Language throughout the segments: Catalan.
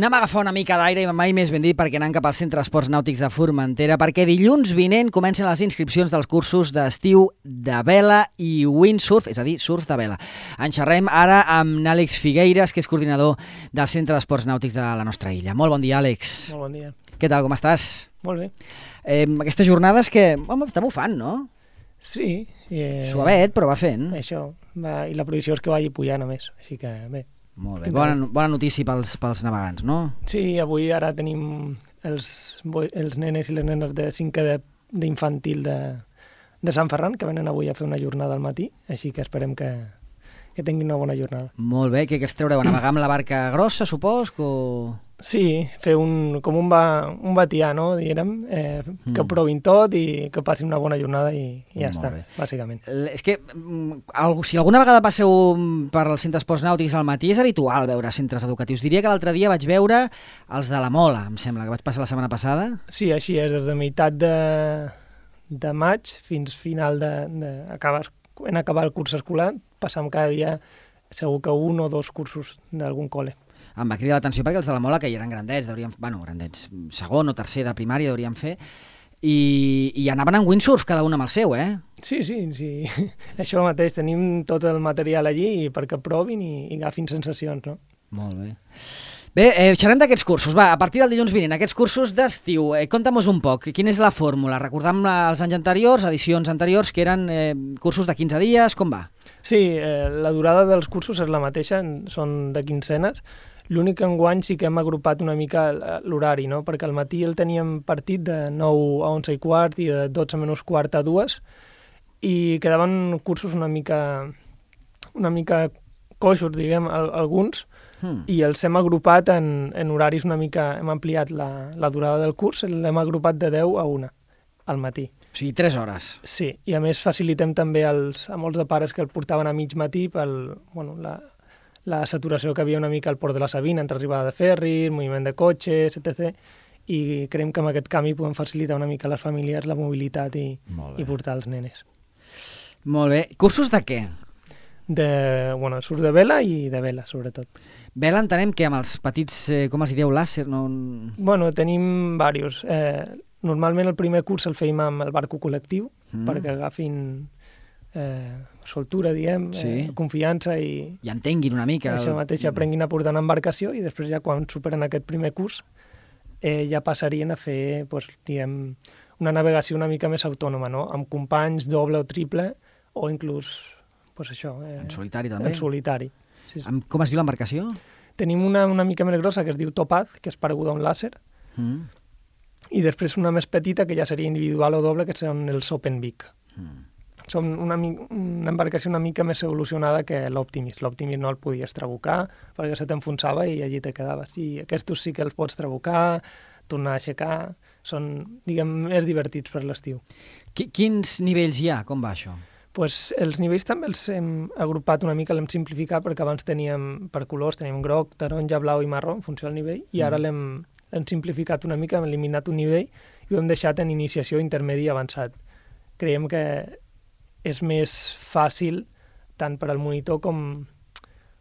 Anem a agafar una mica d'aire i mai més ben dit perquè anem cap al Centre d'Esports Nàutics de Formentera perquè dilluns vinent comencen les inscripcions dels cursos d'estiu de vela i windsurf, és a dir, surf de vela. En xerrem ara amb Àlex Figueiras, que és coordinador del Centre d'Esports Nàutics de la nostra illa. Molt bon dia, Àlex. Molt bon dia. Què tal, com estàs? Molt bé. Aquestes jornades que, home, està bufant, no? Sí. Suavet, però va fent. Això, i la previsió és que vagi pujant a més, així que bé. Molt bé, bona notícia pels navegants, no? Sí, avui ara tenim els nenes i les nenes de 5è d'infantil de Sant Ferran, que venen avui a fer una jornada al matí, així que esperem que tinguin una bona jornada. Molt bé, què es treureu? A navegar amb la barca grossa, supos? Sí, fer com un batià, no? Diguem, que provin tot i que passin una bona jornada i ja està, bàsicament. És que si alguna vegada passeu per al Centre d'Esports Nàutics al matí, és habitual veure centres educatius. Diria que l'altre dia vaig veure els de la Mola, em sembla, que vaig passar la setmana passada. Sí, així és, des de meitat de maig fins final en acabar el curs escolar, passam cada dia segur que un o dos cursos d'algun col·le. Em va cridar l'atenció perquè els de la Mola, que ja eren grandets, grandets, segon o tercer de primària deurien fer, i anaven en windsurf, cada un amb el seu, eh? Sí, això mateix, tenim tot el material allí perquè provin i agafin sensacions, no? Molt bé. Bé, xerrem d'aquests cursos. Va, a partir del dilluns vinent, aquests cursos d'estiu, conta'm-nos un poc, quina és la fórmula? Recordam els anys anteriors, edicions anteriors, que eren cursos de 15 dies, com va? Sí, la durada dels cursos és la mateixa, són de quinzenes. L'únic enguany sí que hem agrupat una mica l'horari, no? Perquè al matí el teníem partit de 9 a 11 i quart i de 12 menys quart a 2 i quedaven cursos una mica coixos, diguem, alguns, i els hem agrupat en horaris una mica, hem ampliat la durada del curs, l'hem agrupat de 10 a 1 al matí. O sigui, 3 hores. Sí, i a més facilitem també a molts de pares que el portaven a mig matí la saturació que havia una mica al Port de la Sabina entre arribada de ferri, moviment de cotxes, etc. I creiem que amb aquest canvi podem facilitar una mica a les famílies la mobilitat i portar els nenes. Molt bé. Cursos de què? Surf de vela i de vela, sobretot. Vela entenem que amb els petits, com els dieu, làser, no? Bueno, tenim diversos. Normalment el primer curs el feim amb el barco col·lectiu, perquè agafin soltura, diguem, confiança i entenguin una mica. Això mateix, aprenguin a portar una embarcació i després ja quan superen aquest primer curs ja passarien a fer, diguem, una navegació una mica més autònoma, no? Amb companys doble o triple o inclús, això... En solitari també? En solitari. Sí. Com es diu l'embarcació? Tenim una mica més grossa que es diu Topaz, que és pareguda a un làser, i després una més petita que ja seria individual o doble, que són els Open Big. Són una embarcació una mica més evolucionada que l'Optimis. L'Optimis no el podies trabucar perquè se t'enfonsava i allí te quedaves. I aquests sí que els pots trabucar, tornar a aixecar, són, diguem, més divertits per l'estiu. Quins nivells hi ha? Com va això? Els nivells també els hem agrupat una mica, l'hem simplificat perquè abans teníem per colors, teníem groc, taronja, blau i marró en funció del nivell i ara l'hem simplificat una mica, hem eliminat un nivell i ho hem deixat en iniciació, intermedi i avançat. Creiem que és més fàcil tant per al monitor com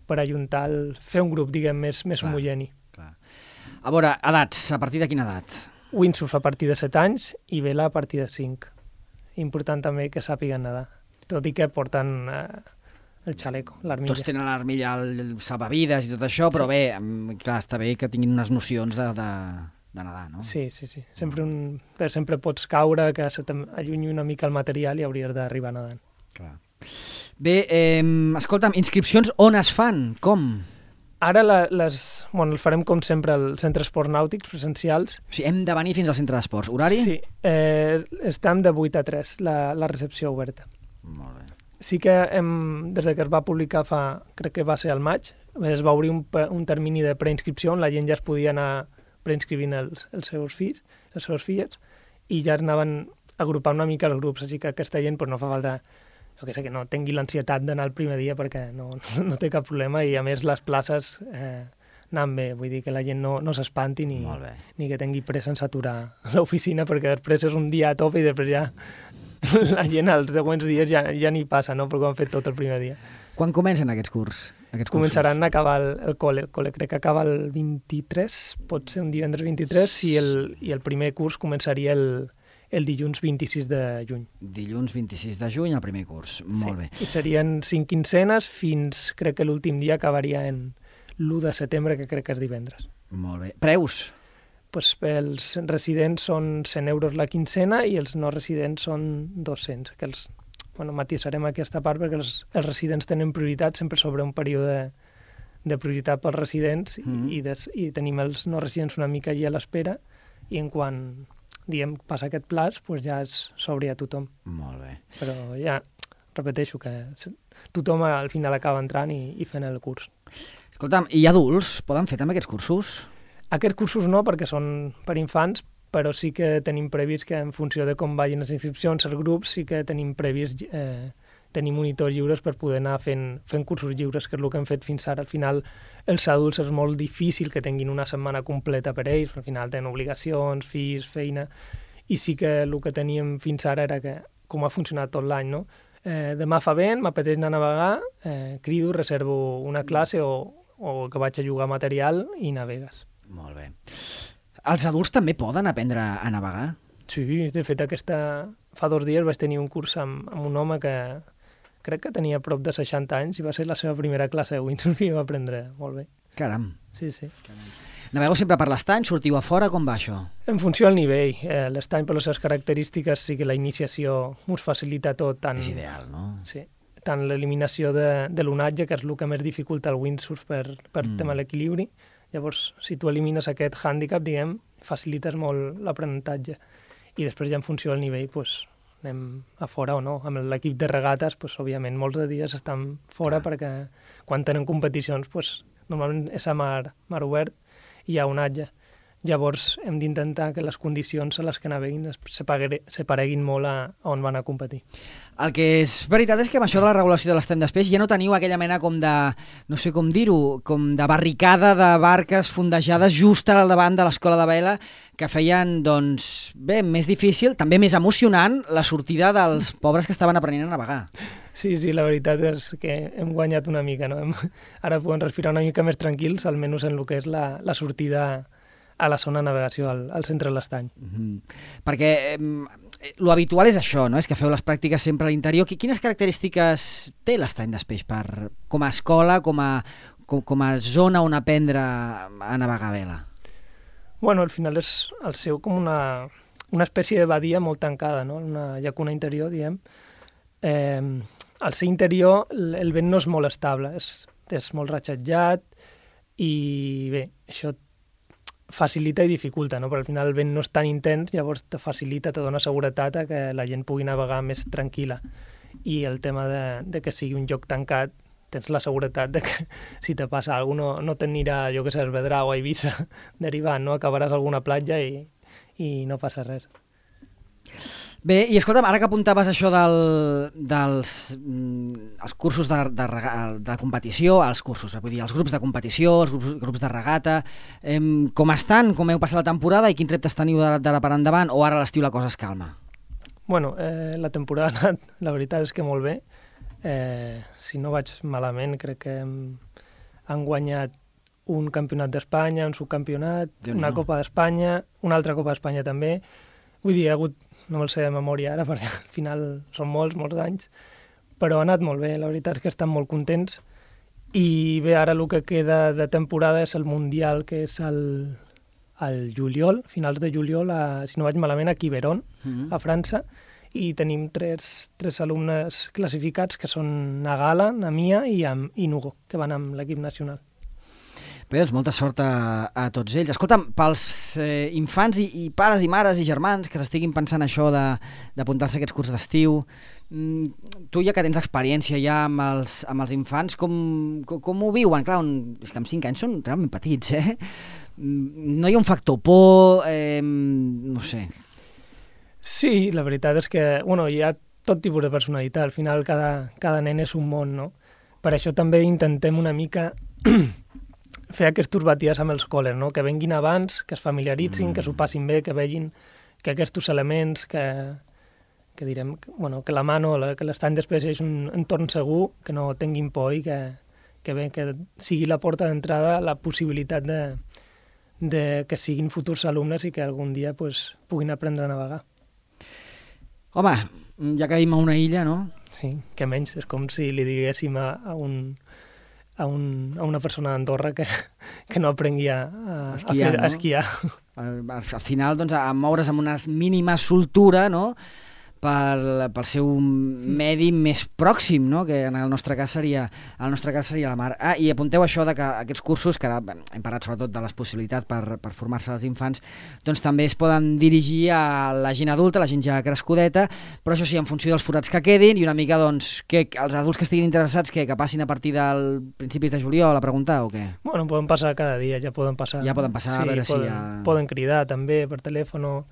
per ajuntar, fer un grup, diguem, més homogeni. A veure, edats, a partir de quina edat? Windsurf a partir de 7 anys i vela a partir de 5. Important també que sàpiguen nedar, tot i que porten el xaleco, l'armilla. Tots tenen l'armilla, el salvavides i tot això, però bé, clar, està bé que tinguin unes nocions de nedar, no? Sí. Sempre pots caure, que se t'allunyi una mica el material i hauries d'arribar nedant. Clar. Bé, escolta'm, inscripcions on es fan? Com? Ara els farem com sempre als centres esports nàutics presencials. O sigui, hem de venir fins al centre d'esports. Horari? Sí, estem de 8 a 3, la recepció oberta. Molt bé. Sí que des que es va publicar crec que va ser al maig, es va obrir un termini de preinscripció on la gent ja es podia anar preinscrivint els seus fills, les seves filles, i ja es anaven agrupant una mica els grups, així que aquesta gent no fa falta, que no tingui l'ansietat d'anar el primer dia perquè no té cap problema i a més les places anant bé, vull dir que la gent no s'espanti ni que tingui pressa en saturar l'oficina perquè després és un dia a tope i després ja la gent els següents dies ja ni passa, no? Perquè ho han fet tot el primer dia. Quan comencen aquests curs? començaran a acabar el col·le. El col·le crec que acaba el 23, pot ser un divendres 23, i el primer curs començaria el dilluns 26 de juny. Dilluns 26 de juny, el primer curs. Molt bé. I serien 5 quinzenes fins, crec que l'últim dia acabaria en l'1 de setembre, que crec que és divendres. Molt bé. Preus? Pues els residents són 100 euros la quincena i els no residents són 200, que matisarem aquesta part perquè els residents tenen prioritat sempre sobre un període de prioritat pels residents i tenim els no residents una mica allà a l'espera i en quan passa aquest plaç, pues ja s'obre a tothom. Molt bé. Però ja, repeteixo, que tothom al final acaba entrant i fent el curs. Escolta'm, i adults poden fer també aquests cursos? Aquests cursos no, perquè són per infants, però sí que tenim previst que en funció de com vagin les inscripcions, els grups, sí que tenim previst tenir monitors lliures per poder anar fent cursos lliures, que és el que hem fet fins ara. Al final, els adults és molt difícil que tinguin una setmana completa per ells, al final tenen obligacions, fills, feina, i sí que el que teníem fins ara era que, com ha funcionat tot l'any, no? Demà fa vent, m'apeteix anar a navegar, crido, reservo una classe o que vaig a jugar material i navegues. Molt bé. Els adults també poden aprendre a navegar? Sí, de fet fa 2 dies vaig tenir un curs amb un home que crec que tenia prop de 60 anys i va ser la seva primera classe de windsurf i va aprendre molt bé. Caram. Sí, sí. Caram. Navegeu sempre per l'estany? Sortiu a fora? Com va això? En funció del nivell. L'estany, per les seves característiques, sí que la iniciació us facilita tot. És ideal, no? Sí. Tant l'eliminació de l'onatge, que és el que més dificulta el windsurf per tema de l'equilibri. Llavors, si tu elimines aquest hàndicap, facilites molt l'aprenentatge. I després ja en funció del nivell, anem a fora o no. Amb l'equip de regates, òbviament, molts de dies estan fora perquè quan tenen competicions, normalment és a mar obert i hi ha onatge. Llavors hem d'intentar que les condicions a les que naveguin se pareguin molt a on van a competir. El que és veritat és que amb això de la regulació de l'estany d'espeix ja no teniu aquella mena com de, no sé com dir-ho, com de barricada de barques fondejades just al davant de l'escola de vela que feien, doncs, bé, més difícil, també més emocionant, la sortida dels pobres que estaven aprenent a navegar. Sí, la veritat és que hem guanyat una mica, no? Ara podem respirar una mica més tranquils, almenys en el que és la sortida a la zona de navegació, al centre de l'estany. Perquè lo habitual és això, no? És que feu les pràctiques sempre a l'interior. Quines característiques té l'estany d'Espeix com a escola, com a zona on aprendre a navegar a vela? Bueno, al final és el seu com una espècie de badia molt tancada, no? Una llacuna interior, diguem. Al ser interior el vent no és molt estable, és molt ratxatjat i bé, això facilita i dificulta, no? Però al final el vent no és tan intens, llavors te facilita, te dona seguretat a que la gent pugui navegar més tranquil·la. I el tema de que sigui un lloc tancat, tens la seguretat de que si te passa alguna cosa no t'anirà, jo que sé, a Esvedra o a Eivissa derivant, no? Acabaràs a alguna platja i no passa res. Bé, i escolta'm, ara que apuntaves això dels cursos de competició, els grups de competició, els grups de regata, com estan, com heu passat la temporada i quins reptes teniu d'ara per endavant, o ara a l'estiu la cosa es calma? Bueno, la temporada ha anat, la veritat és que molt bé. Si no vaig malament, crec que han guanyat un campionat d'Espanya, un subcampionat, una Copa d'Espanya, una altra Copa d'Espanya també. Vull dir, ha hagut, no me'l sé de memòria ara, perquè al final són molts anys, però ha anat molt bé, la veritat és que estan molt contents. I bé, ara el que queda de temporada és el Mundial, que és al juliol, finals de juliol, si no vaig malament, a Quiberon, a França, i tenim tres alumnes classificats, que són Nagala, Namia i Nugo, que van amb l'equip nacional. Bé, doncs molta sort a tots ells. Escolta'm, pels infants i pares i mares i germans que s'estiguin pensant això d'apuntar-se a aquests cursos d'estiu, tu ja que tens experiència ja amb els infants, com ho viuen? Clar, és que amb 5 anys són realment petits, No hi ha un factor por, no sé. Sí, la veritat és que hi ha tot tipus de personalitat. Al final cada nen és un món, no? Per això també intentem una mica fer aquests batides amb els col·les, no? Que venguin abans, que es familiaritzin, que s'ho passin bé, que vegin que aquests elements, que direm, que la mano, que l'estany d'espècie és un entorn segur, que no tinguin por i que sigui la porta d'entrada la possibilitat de que siguin futurs alumnes i que algun dia pues, puguin aprendre a navegar. Home, ja que vivim a una illa, no? Sí, que menys. És com si li diguéssim a una persona d'Andorra que no aprengui a esquiar. Al final, doncs, a moure's amb una mínima soltura, no?, pel seu medi més pròxim, no?, que en el nostre cas seria la mar. I apunteu això de que aquests cursos, que ara hem parlat sobretot de les possibilitats per formar-se els infants, doncs també es poden dirigir a la gent adulta, la gent ja crescudeta, però això sí, en funció dels forats que quedin i una mica, doncs, que els adults que estiguin interessats que passin a partir del principis de juliol a preguntar o què? Bueno, poden passar cada dia, ja poden passar. Ja poden passar, sí, a veure si hi ha... Poden cridar també per telèfon o...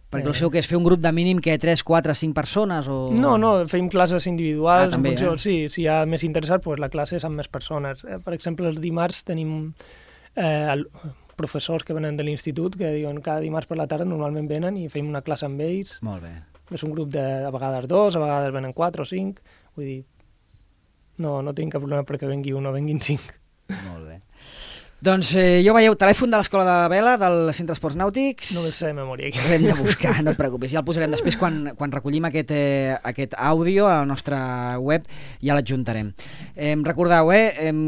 Perquè el seu que és fer un grup de mínim que 3, 4, 5 persones o... No, fem classes individuals. També, en funció, sí, si hi ha més interessat, pues la classe és amb més persones. Per exemple, els dimarts tenim professors que venen de l'institut que diuen cada dimarts per la tarda normalment venen i fem una classe amb ells. Molt bé. És un grup a vegades 2, a vegades venen 4 o 5. Vull dir, no tenim cap problema perquè vengui 1 o venguin 5. Molt bé. Doncs ja ho veieu, telèfon de l'Escola de Vela, del Centre Esports Nàutics. No me sé de memòria. L'hem de buscar, no et preocupis. Ja el posarem després quan recollim aquest àudio a la nostra web, ja l'adjuntarem. Recordeu,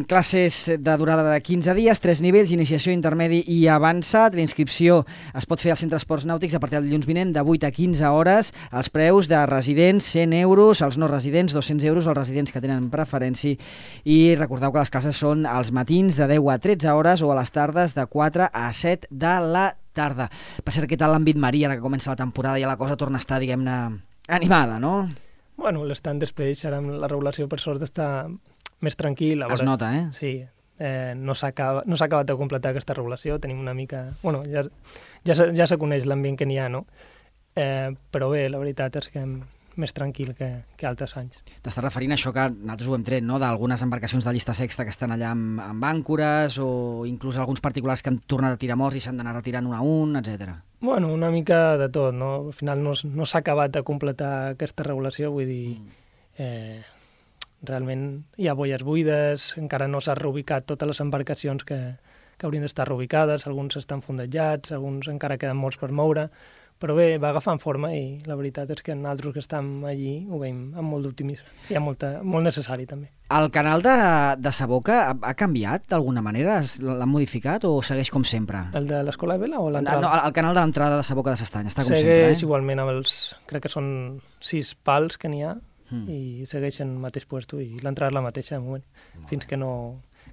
classes de durada de 15 dies, 3 nivells, iniciació, intermedi i avançat. La inscripció es pot fer al Centre Esports Nàutics a partir del dilluns vinent de 8 a 15 hores. Els preus de residents, 100 euros, els no residents, 200 euros, els residents que tenen preferència. I recordeu que les classes són als matins de 10 a 13 hores o a les tardes de 4 a 7 de la tarda. Per cert, què tal l'àmbit marí ara que comença la temporada i la cosa torna a estar, diguem-ne, animada, no? Bueno, l'estant després, ara amb la regulació per sort està més tranquil. Es nota, eh? Sí, no s'ha acabat de completar aquesta regulació, tenim una mica... Bueno, ja se coneix l'ambient que n'hi ha, no? Però bé, la veritat és que més tranquil que altres anys. T'estàs referint a això que nosaltres ho hem tret, no?, d'algunes embarcacions de llista sexta que estan allà amb àncores o inclús alguns particulars que han tornat a tirar morts i s'han d'anar retirant un a un, etc. Bueno, una mica de tot, no? Al final no s'ha acabat de completar aquesta regulació, vull dir, realment hi ha boies buides, encara no s'ha reubicat totes les embarcacions que haurien d'estar reubicades, alguns estan fondejats, alguns encara queden molts per moure, però bé, va agafant forma i la veritat és que nosaltres que estem allí ho veiem amb molt d'optimisme. Hi ha molt necessari també. El canal de Saboca ha canviat d'alguna manera? L'han modificat o segueix com sempre? El de l'Escola de Vela o l'entrada? No, el canal de l'entrada de Saboca de s'Estany està com segueix sempre, Segueix igualment amb els... Crec que són 6 pals que n'hi ha i segueixen el mateix puesto i l'entrada és la mateixa de moment, fins que no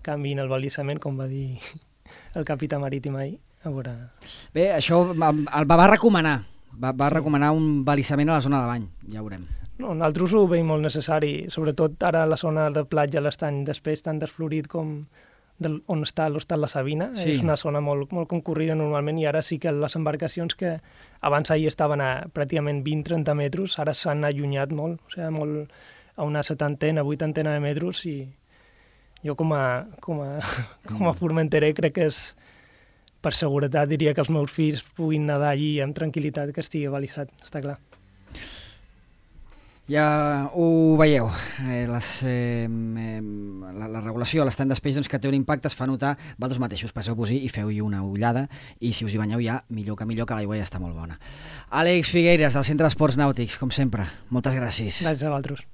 canviïn el balisament, com va dir el capità marítim ahir. A veure... Bé, això el va recomanar. Va recomanar un balisament a la zona de bany, ja ho veurem. No, nosaltres ho veiem molt necessari, sobretot ara la zona de platja, l'estany d'Espeix, tan desflorit com on està l'Hostal La Sabina. Sí. És una zona molt concurrida normalment i ara sí que les embarcacions que abans ahir estaven a pràcticament 20-30 metres, ara s'han allunyat molt, o sigui, molt a una 70, 80 de metres i jo com a formenterer crec que és per seguretat diria que els meus fills puguin nedar allí amb tranquil·litat, que estigui balisat, està clar. Ja ho veieu, la regulació, l'estany d'espeix doncs, que té un impacte, es fa notar, vosaltres mateixos passeu-vos-hi i feu-hi una ullada i si us hi banyeu ja, millor que l'aigua ja està molt bona. Àlex Figueiras, del Centre d'Esports Nàutics, com sempre, moltes gràcies. Gràcies a vosaltres.